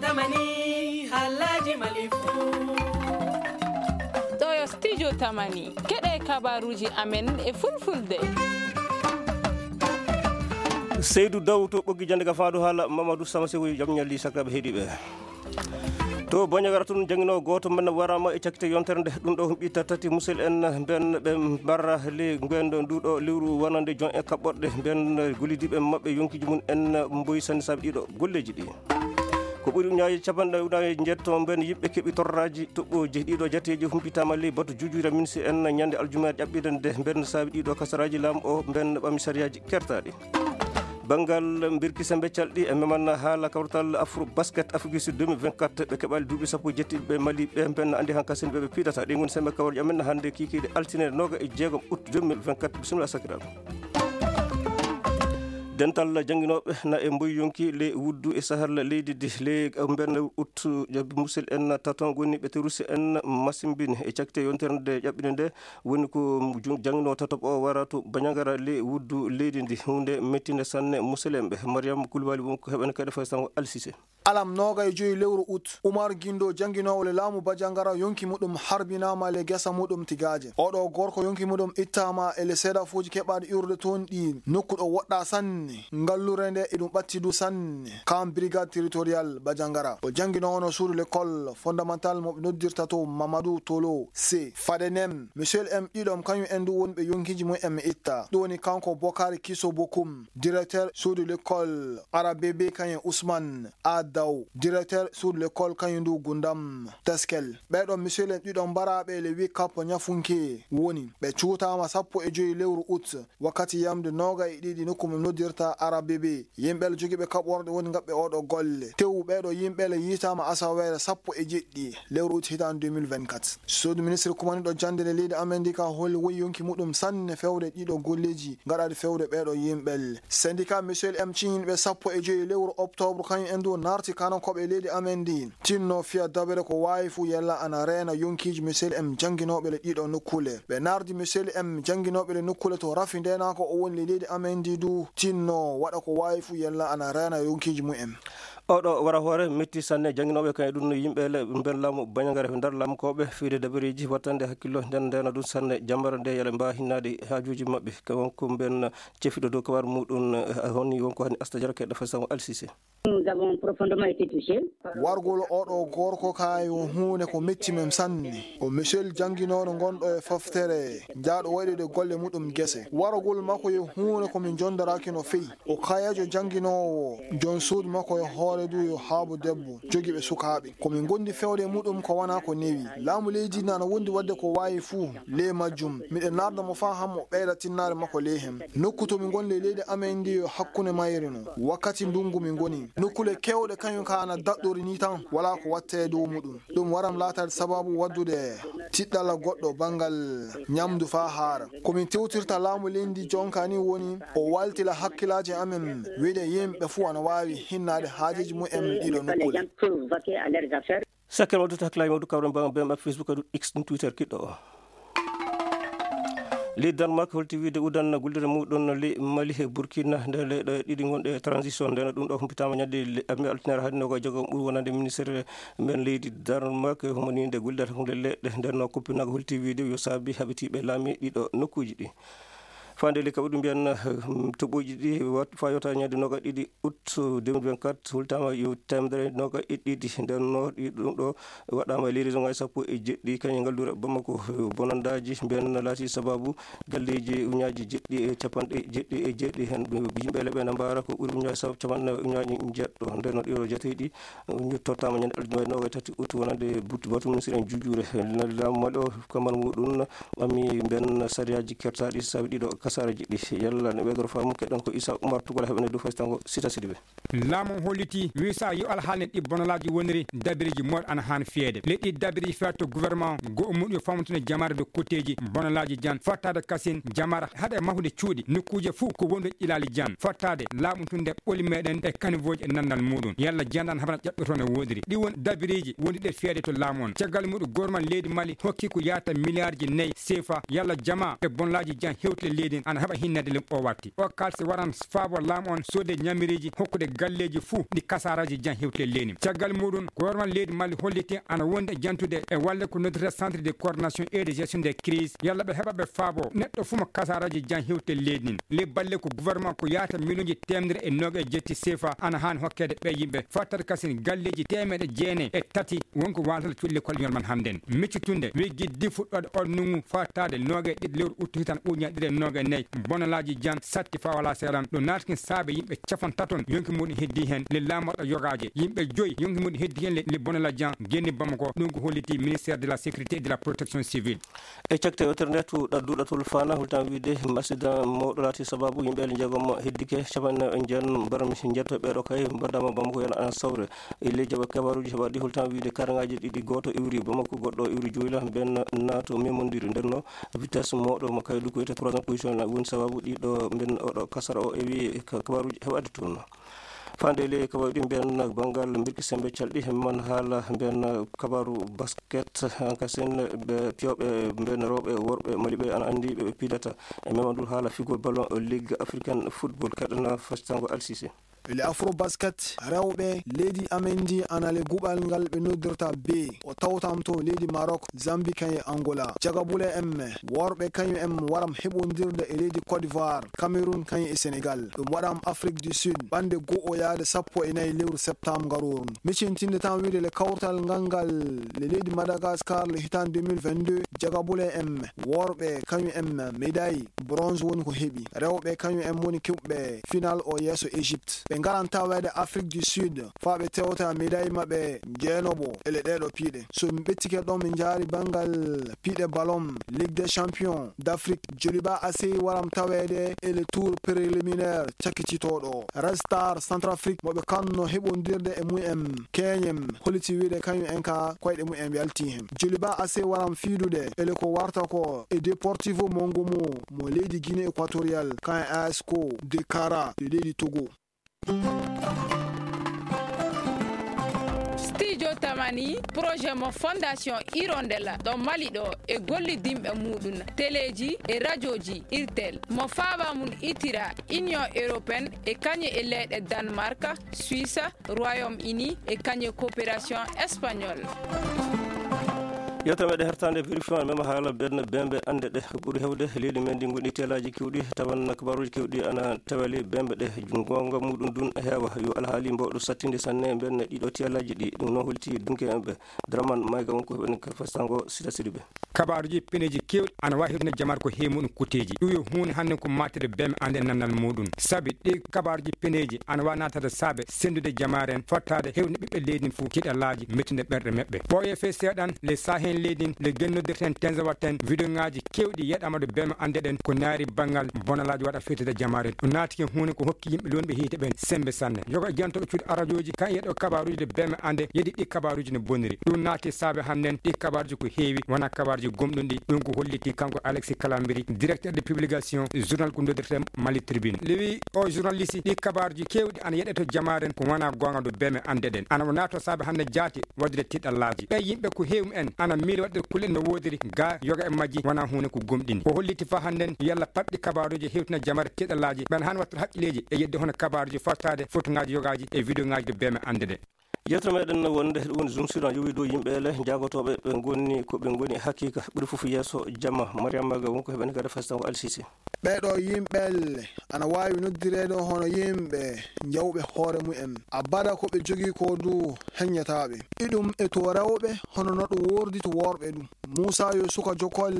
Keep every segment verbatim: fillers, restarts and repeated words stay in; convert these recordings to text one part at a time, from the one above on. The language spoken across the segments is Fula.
Tamani, halaji malifu. Ɗo yo studio Tamani. Keɗe kabaruji amen e fulfulde. Seydou Daw to Ɓoggi Jannde ka faandu haala Mamadou Sama Sewoy, jam ñalli sakiraaɓe heɗiiɓe. To Bandiagara toon, jannginoowo gooto men waraama e cakkite yontere nde. Ɗum ɗo ɓitta tati musel en mben ɓe mbarra le ngwendo nduɗo lewru wonande jon e kaɓɓorɗe mben gollidiiɓe maɓɓe yonkiiji mum en mboyi sanne saabe ɗiɗo golleeji ɗi. Ko ɓuri ujunnaaje capanɗe ujunnaaje njeetto mben yimɓe keɓi torraaji toɓɓooji. Ɗiɗo jateeji humpitaama ley batu juujuure minsi en ñande aljuma ƴaɓɓiɗe nde mben saabe ɗiɗo kasaraaji laamu o mben ɓami sariyaaji kertaaɗi. Banngal mbirki sembe calɗi e meman haala kawtal Afro Basket Afrique du Sud deux mille vingt-quatre, ɓe keɓali duuɓi sappo jetti ɓe Mali ɓe, ɓen anndi han kasen ɓe, ɓe piɗata. Ɗi ngoni sembe kawrji amen hannde kiikiiɗe altine nooga e jeegom août deux mille vingt-quatre. Bisimilla sakiraaɓe. Dental jannginooɓe na e mboy yonki le wuddu e sahal leydi ndi le mben août, musel en taton goni ɓe terusi en masimbin e cakte yontere nde ƴaɓɓine nde. Woni ko jun-, jannginoowo tataɓo o wara to Bandiagara le wuddu leydi ndi. Huunde mettinde sanne muselemɓe. Mariam Koulibaly won ko heɓen kadi fay sango Alsise. Alam nooga e joyi lewru août, Umar Gindo, jannginoowo le laamu Bandiagara, yonki muɗum harbinaama le gesa muɗum Tigaaje. Oɗo gorko yonki muɗum ittaama e le seedafuuji keɓaaɗi iwrude toon ɗi nokku ɗo woɗɗa sanne. Ngallure nde eɗum ɓatti du sanne. Kam brigade territorial Bandiagara. O jannginoowo no suudu l'école fondamental mo ɓe noddirta to Mamadou Tolo C. Fade nen, Michel M ɗiɗom, kañum en du woni ɓe yonkiiji mum en mi itta. Ɗum woni kanko Bokari Kiso Bokum, directeur suudu l'école Arabebe, kañum Ousmane A Daw, directeur suudu l'école kañum du Gundam Teskel. Ɓeɗo Michel M ɗiɗom mbaraaɓe le huit kap ñafunke woni. Ɓe cuutaama sappo e joyi lewru août. Wakkati yamde nooga e ɗiɗi nokku mo noddirta Arabebe, yimɓe jogiiɓe kaɓorɗe woni ngaɓɓe oɗo golle. Tewu ɓeɗo yimɓe le yiitaama asaweere sappo e jeɗɗi lewru août hitaande deux mille vingt-quatre. Suudu ministre kumaniɗo jannde le leydi amen ndi ka holi woyi yonki muɗum sanne fewde ɗiɗo golleeji gaɗaaɗi fewde ɓeɗo yimɓe le. Syndicat Michel M ciñinɓe sappo e joyi lewru octobre kañum en du naarti kanankooɓe leydi amen ndi. Tinno fiya dabere ko waawi fuu yalla ana reena yonkiiji Michel M jannginooɓe le ɗiɗo nokkule. Ɓe naardi Michel M jannginooɓe le nokkule to rafi ndeenaako o woni le leydi amen ndi du tinno waɗa ko waawi fuu yalla ana reena yonkiiji mum en. Oɗo wara hoore metti sanne jannginooɓe kañum ɗum no yimɓe le mben laamu Bandiagara nder laamu kooɓe fiyde dabareeji wattande hakkillo nden ndeena ɗum sanne jambara nde yala mbaa hinnaade haajuuji maɓɓe. Ka won ko mben cefiɗo dow kabar muɗum, eh, honni won ko hani Asta Jara keɗɗo fay sango Alsise. Nous avons profondément été touchés. Wargol oɗo gorko ka yo huunde ko metti men sanne. O Michel jannginooɗo ngonɗo e foftere, jaaɗo waɗude golle muɗum gese. Wargol makko yo huunde ko min njondoraaki no feewi. O kayeejo jannginoowo, jon suudu makko yo hoore du yo haabu debbo, jogiiɓe sukaaɓe. Ko min ngondi fewde e muɗum ko wona ko newi. Laamu leydi nana wondi waɗde ko waawi fuu ley majjum. Miɗen naarda mo faa hammo ɓeyda tinnaare makko ley hen. Nokku to min ngoni ley leydi amen ndi yo hakkunde mayre no. Wakkati ndungu min ngoni. Nokkule kewɗe kañum ka ana daɗɗori ni tan, wala ko watte e dow muɗum. Ɗum waram laataade sababu waddude tiɗɗala goɗɗo banngal ñamdu faa haara. Ko min tewtirta laamu leydi jonka ni woni o waltila hakkilaaji amen, wiide yimɓe fuu ana waawi hinnaade haajeeji mum en ɗiɗo nokkule. Sakkere waddude hakkilaaji mawɗo kawren bam bem ak Facebook, aɗu X, ɗum Twitter kiɗɗo o. Leydi Denmark holti wiide udan guldere muɗum ley Mali e Burkina nde leyɗe ɗiɗi gonɗe e transition. Nden ɗum ɗo humpitaama ñande le-, amme altinere hannde ko e jogo ɓuri wonande ministre men leydi Denmark, humaninde guldere hunde leɗɗe. Nden no kuppinago holti wiide yo saabi habitiiɓe laami ɗiɗo nokkuuji ɗi. Faande le kaɓe ɗum mbiyan, hmm, toɓɓooji ɗi wat-, faa yota ñande noga ɗiɗi août deux mille vingt-quatre, hultaama yo teemedere noga e ɗiɗi. Nden no ɗi ɗum ɗo waɗaama e leydi zongaji sappo e jeɗɗi, kañum e ngallure Bamako. Bonandaaji mbiyan laati sababu galleeji uñaaji jeɗɗi e capanɗe jeɗɗi e jeɗɗi. Heen yimɓe leɓe na mbaara ko ɓuri uñaaji sab-, capanɗe nayi uñaaji jeɗɗo. Nden no ɗiɗo jateeɗi ñu tottaama ñande aljuma e noga e tati août wonande but-, batu ministre en juujuure. Laamu Mali o kamar muɗum ɓami mbiyan sariyaaji kertaaɗi saabi ɗiɗo kasaaraji ɗi. Yalla ne ɓeydoro faamu, keɗɗon ko Issa Oumar Tounkara heɓene dow faysango Sita Sidibé. Laamu holliti wisa yo alhaali ɗi bonalaaji woniri dabiriji moɗ ana haan fiyeede. Leɗɗi dabiriji fiyaade to gouvernement go o muɗum yo famtune jamaare dow kotteeji bonalaaji jan fottaade kasin jamaare haɗa e mahude cuuɗi nokkuuje fof ko wonde ƴilaali jan fottaade laamu tunde ɓoli meɗen e kanivoji e nandal muɗum. Yalla jandan habana ƴaɓɓe toon e woodiri. Ɗi woni dabiriji woni ɗe fiyeede to laamu on. Caggal muɗum gouvernement leydi Mali hokki ko yaata milliardji nayi sefa yalla jama e bonalaaji jan hewtile leydi ana heɓa hinnede ley o watti. O kaalsi waran faabo laamu on soode ñamiriiji hokkude galleeji fuu ɗi kasaaraaji jan hewti e leydi. Caggal muɗum, gouvernement leydi Mali holliti ana wondi e jantude e walle ko noddata centre de coordination et de gestion des crises, yalla ɓe heɓa ɓe faabo neɗɗo fuu mo kasaaraaji jan hewti e leydi ndin. Ley balle ko gouvernement ko yaata miliyonji teemedere e noogaas e jetti sefa ana haani hokkeede ɓe yimɓe. Fattata kasin galleeji teemeɗe jeenayi e tati wonko waalata cuuɗi lekkol ñol man hannden. Miccitunde wiggi di fuɗɗoode on nungu fattaade noogaas e ɗiɗi lewru uttu hitan uña ɗiɗi e noogaas e nayi. Bonalaaji jan satti faa walaa seeɗan. Ɗum naataki saabe yimɓe capan taton yonki muɗum heddi heen le laamoɗo yogaaje. Yimɓe joyi yonki muɗum heddi heen le, le bonalaaji jan genni Bamako. Ɗum ko holliti ministère de la sécurité et de la protection civile. E cakte yewtere nde, to ɗadduɗo tol faana, hultan wiide, accident mawɗo laati sababu yimɓe jeegom heddike, capanɗe nayi e jeenayi mbarmi njetto ɓeeɗo kay mbaɗama Bamako yana ana sawre. E ley jaɓa kabaruji heɓaɗi, hultan wiide karangaaji ɗiɗi, gooto iwri Bamako, goɗɗo iwri Dioula, ben naato memondiri ndenno vitesse mawɗo mo kay dukkoyte troisième position na woni sababu ɗiɗo ben oɗo kasara o ewi ka-, kabaruji heɓaɗi toon. Fande le kabaru ɗi mbiyan banngal mbirki sembe calɗi man haala mbiyan kabaru basket, hankasin ɓe piyoɓe mbiyan rewɓe worɓe maliɓe ana anndi ɓe ɓe pidata e memandu haala figol ballon ligue africaine football kaɗana fastango alsise. Le afro basket rewɓe leydi amen ndi ana le guɓal ngal ɓe noddirta be o tawtam to leydi Maroc, Zambie kañum e Angola. Jagabule M worɓe kañum en waram heɓondirde e leydi Côte d'Ivoire, Cameroun kañum e Sénégal. Ɗum waɗam Afrique du Sud ɓande go'o yaade sappo e nayi lewru septembre ngarooru. Micintinde tan wiide le kawtal ngal ngal le leydi Madagascar le hitande deux mille vingt-deux, jagabule M worɓe kañum en médaille bronze woni ko heɓi. Rewɓe kañum en woni keɓɓe final o yeeso Égypte. Ɓe ngaran taweede Afrique du Sud faa ɓe tewta médaille maɓɓe jeenoowo e le ɗeeɗo piiɗe. So min ɓettike ɗon, min njaari banngal piiɗe ballon Ligue des Champions d'Afrique. Joliba A C waram taweede e le tour préliminaire cakkititooɗo. Red Star Centrafrique mo ɓe kanno heɓondirde e mumen keñem holliti wiide kañum en ka koyɗe mumen yalti hen. Joliba A C waram fiidude e le ko warta ko e Deportivo Mongomo mo leydi Guinée Équatoriale, kan e A S ko de Kara de leydi Togo. Studio Tamani, projet mo Fondation Hirondella ɗo Mali ɗo e gollidinɓe muɗum, teleji e rajoji Irtel, mo faaba mum itira Union Européenne e kañe e leyɗe Danemark, Suisse, Royaume-Uni e kañe coopération espagnole. Yewtere meɗen hertande vérifiant mema haala ben bembe ande ɗe ɓuri hewde leydi men ndi ngoni telaji kewɗi tawan kabaruji kewɗi ana tawali bembe ɗe gonga muɗum dun heewa yo alhaali mbawɗo sattinde sanne ben ɗiɗo telaji ɗi ɗum no holti dunke en ɓe Draman Mayga wonko heɓen ka fastango sita sidiɓe. Kabaaruji peneeji keewɗi ana waawi hewtinde jamaare ko heewi muɗum kuteeji. Ɗum yo huunde hannde ko maatede beme annde e nannal muɗum. Sabi ɗi kabaaruji peneeji ana waawi naatade saabe senndude jamaare en, fottaade hewtinde ɓiɓɓe leydi ndin fof tiiɗallaaji, mettude ɓerɗe maɓɓe. Ɓooyee fee seeɗan, le Sahel leydi ndin, le gen noddirten Tenzawaten, vidéoŋaaji keewɗi yeɗaama ɗo beme annde ɗen ko naari banngal bonalaaji waɗa fewtida jamaare en. Ɗum naati ko huunde ko hokki yimɓe lonɓe hiite ɓen semmbe sanne. Yoga e jantooɓe cuuɗi arajooji kan yeɗo kabaaruji ɗi beme annde yedi ɗi kabaaruji no boniri. Ɗum naati saabe hannden ɗi kabaaruji ko heewi wona kabaaruji gomɗunɗi. Ɗum ko holliti kanko Alexis Kalambiri, directeur de publication journal ko noddirte Mali Tribune. Lewi o journaliste ɗi kabaaruji keewɗi ana yeɗe to jamaare en ko wona goonga ɗo beme annde ɗen. Ana o naato saabe hannde jaati waɗude tiɗallaaji. Ɓe yimɓe ko heewi en ana miili waɗde kulle no woodiri ga yoga e majji wona huunde ko gomɗini. O holliti fa hannden yalla paɗɗi kabaaruji hewtina jamaare tiɗallaaji ɓen han watta haqqilleeji e yedde hono kabaaruji fottaade fotoŋaaji yogaaji e vidéoŋaaji ɗo beme annde ɗe. Yewtere meɗen wonde ɗum woni Zoom sur en yowi dow yimɓe ele jaagotooɓe ɓe ngoni ko ɓe ngoni haqiqa ɓuri fof yeeso jamma. Mariama Maga wonko heɓen kadi fastango Alsisi. Ɓeeɗo yimɓe ana waawi noddireede hono yimɓe jawɓe hoore mumen. Abada ko ɓe jogii ko du heññataa ɓe. Iɗum e to rewɓe hono no ɗum woordi to worɓe du. Muusa yo suka jokol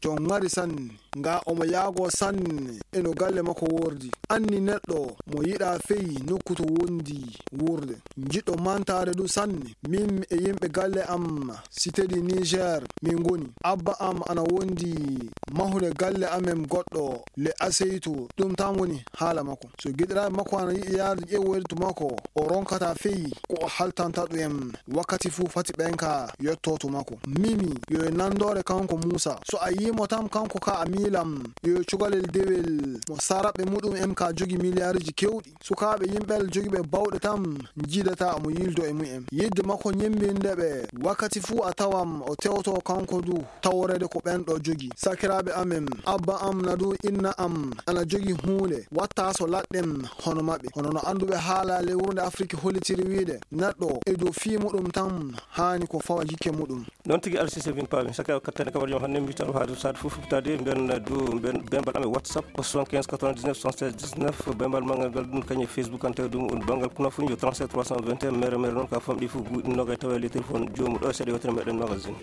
jon ŋari sanne. Nga omo yaago sanne e no galle makko woordi. Anni neɗɗo mo yiɗa fey nokku to wondi wuurde. Jiɗɗo mantaade du sanne. Min e yimɓe galle am Cité du Niger min ngoni. Abba am ana wondi mahude galle amen goɗɗo le Aseytu. Ɗum tan woni haala makko. So giɗiraaɓe makko ana yiɗi yaade ƴeewoyde to makko, o ronkata fey ko o haltanta ɗum en. Wakkati fuu fati ɓen ka yetto to makko. Mimi yo e nandoore kanko Muusa. So a Imo tan kanko ka a miilam yo cukalel dewel mo saraɓe muɗum en ka jogi miliyaariji kewɗi. Sukaaɓe yimɓe jogiiɓe bawɗe tan njiidata mo yiildo e mumen. Yiɗde makko ñemmbinde ɓe wakkati fuu a tawam o tewto kanko du taworeede ko ɓen ɗo jogi. Sakiraaɓe amen, abba am na du inna am ana jogi huunde watta so laɗɗen hono maɓɓe. Hono no annduɓe haala lewru nde Afiriki hollitiri wiide neɗɗo e dow fii muɗum tan haani ko fawa jikke muɗum. Noon tigi, Alsise Bin Paami, saka kattane kabar jom hannde mbitan ko haade saade fof fitade mbiyan du mbiyan bembal amen WhatsApp soixante-quinze quatre-vingt-dix-neuf soixante-seize dix-neuf, bembal magal ngal ɗum kañum e Facebook, an tawi ɗum on banngal kuna fof yo trente-sept trois cent vingt et un, mere mere noon ka famɗi fof guuɗi noga e tawa le téléphone joomu ɗo e seeɗa yewtere meɗen magazine.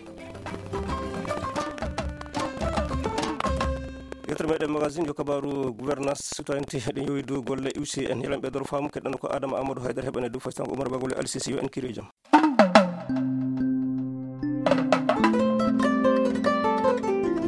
Yewtere meɗen magazine yo kabaru gouvernance citoyenneté, ɗen yowi dow golle U C N. Yelan ɓe doro faamu keɗɗano ko Adama Amadou Haydara heɓane dow faystan ko Oumar Bagol e Alsise, yo en kiri e jam.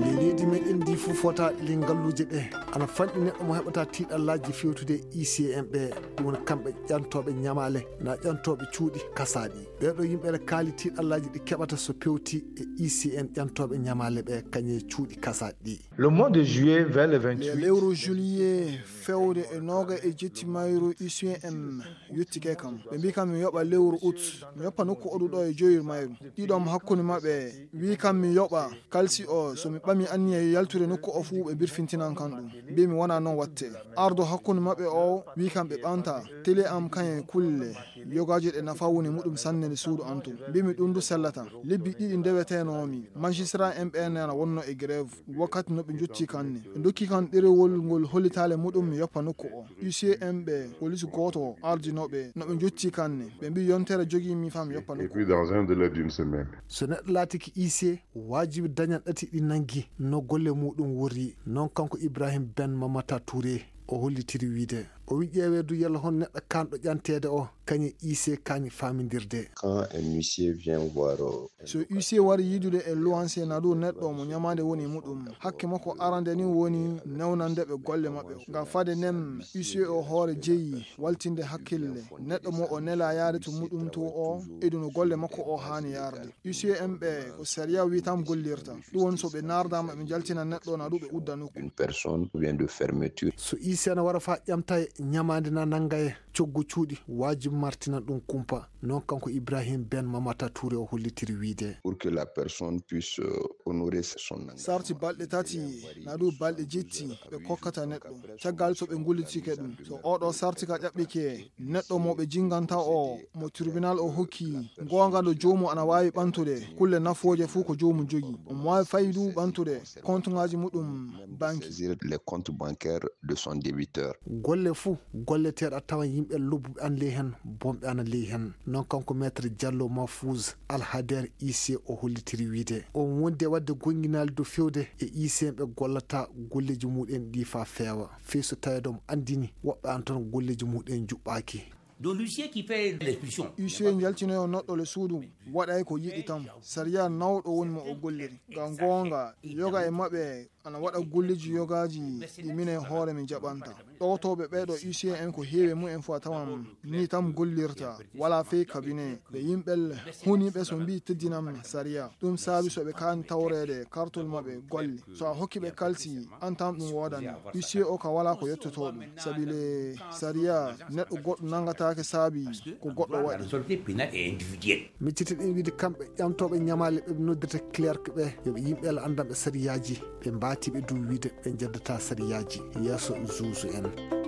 Leydi meɗen ndi fof fota ɗi ngalluuje ɗe ana fanɗi neɗɗo mo heɓata tiiɗallaaji fewtude e I C M ɓe. Ɗum woni kamɓe ƴantooɓe ñamaale na ƴantooɓe cuuɗi kasaaɗi. Ɓeeɗo yimɓe ene kaali tiiɗallaaji ɗi keɓata so pewti e I C M ƴantooɓe ñamaale ɓe kañe cuuɗi kasaaɗi ɗi. Le mois de juillet vers le vingt-huit. Lewru juillet fewde e noga e jetti mayru U C M yottike kam. Ɓe mbi kam mi yoɓa lewru août, mi yoppa nokku oɗu ɗo e joyir mayru. Ɗiɗo am hakkunde maɓɓe wi kam mi yoɓa kalsi o, so mi ɓami anniya yaltude nokku o fuu ɓe birfintinan kam ɗum. Mbi mi wona noon watte. Ardo hakkunde maɓɓe o wi kam ɓe ɓanta télé am kañe kulle yogaaji ɗe nafa woni muɗum sanne nde suudu am tun. Mbi mi ɗum du sellata. Lebbi ɗiɗi ndewetenoomi. Magistrat M P N ana wonno e grève. Wakkati no ɓe njotti kan ni. Ɓe ndokki kan ɗerewol ngol hollitaale muɗum mi yoppa nokku o. U C M ɓe, police gooto ardinooɓe no ɓe njotti kan ni. Ɓe mbi yontere jogii mi fam yoppa nokku. Et puis dans un délai d'une semaine. So neɗɗo laatiki I C, waajibi dañan ɗati ɗi nangi no golle muɗum worri. Noon kanko Ibrahim Ben Mamata Touré o hollitiri wiide. O wi ƴeewee du yalla hon neɗɗo kanɗo ƴanteede o kañe I C kañi faamindirde. Quand un huissier vient voir, euh, un... So huissier wari yiidude e luwanse na du neɗɗo mo ñamaande woni e muɗum, hakke makko arande ni woni newnande ɓe golle maɓɓe. Ngam fade nden huissier o hoore jeyi waltinde hakkille neɗɗo mo o nela yaade to muɗum to o e du no golle makko o haani yarde. U C M ɓe ko sariya wi tan gollirta. Ɗum woni so ɓe nardaama ɓe njaltina neɗɗo na du ɓe udda nokku. Une personne ou bien de fermeture. So I C N wara fa ƴamta e ñamaande na nannga e coggu cuuɗi, waajibi martina ɗum kumpa. Noon kanko Ibrahim Ben Mamata Touré o hollitiri wiide. Pour que la personne puisse, euh, honorer son engagement. Sarti balɗe tati na du balɗe jetti ɓe kokkata neɗɗo. Caggal so ɓe ngullitike ɗum. So oɗo sarti ka ƴaɓɓike, neɗɗo mo ɓe jinganta o, mo tribunal o hokki, goonga ɗo joomu ana waawi ɓantude, kulle nafooje fuu ko joomu jogi. Omo waawi fayi du ɓantude kontuŋaaji muɗum banki. Saisir les comptes bancaires de son débiteur. Golle fuu golleteeɗo a tawan yimɓe lobbuɓe an ley hen, bonɓe ana ley hen. Noon kanko Maître Diallo Mahfouz Alhader I C o hollitiri wiide. On wondi e waɗde gonnginaali dow fewde e I C M ɓe gollata golleeji muɗen ɗi faa feewa. Fii so taweede omo anndini woɓɓe an tan golleeji muɗen njuɓɓaaki. Donc l'huissier qui fait l'expulsion. Huissier njaltinoyo neɗɗo le suudu waɗay ko yiɗi tan. Sariya nawɗo woni mo o golliri. Ngam goonga, yoga e maɓɓe ana waɗa golleeji yogaaji ɗi minen hoore min jaɓanta. Ɗowtooɓe ɓeeɗo huissier en ko heewi mumen fof a tawan ni tan gollirta. Wala fey cabinet. Ɓe yimɓe huniiɓe so mbii teddinam sariya. Ɗum saabi so ɓe kaani tawreede kartol maɓɓe golle. So a hokki ɓe kalsi, an tan ɗum woodani. Huissier o ka wala ko yettoto ɗum. Sabi le sariya, neɗɗo goɗɗo nangataake saabi ko goɗɗo waɗi. Miccitiɗen wiide kamɓe ƴamtooɓe ñamaale ɓe noddirta clerc ɓe, yo ɓe yimɓe Allah anndanɓe sariyaaji, ɓe mbaati ɓe du wiide ɓe njeddata sariyaaji yeeso juusu en.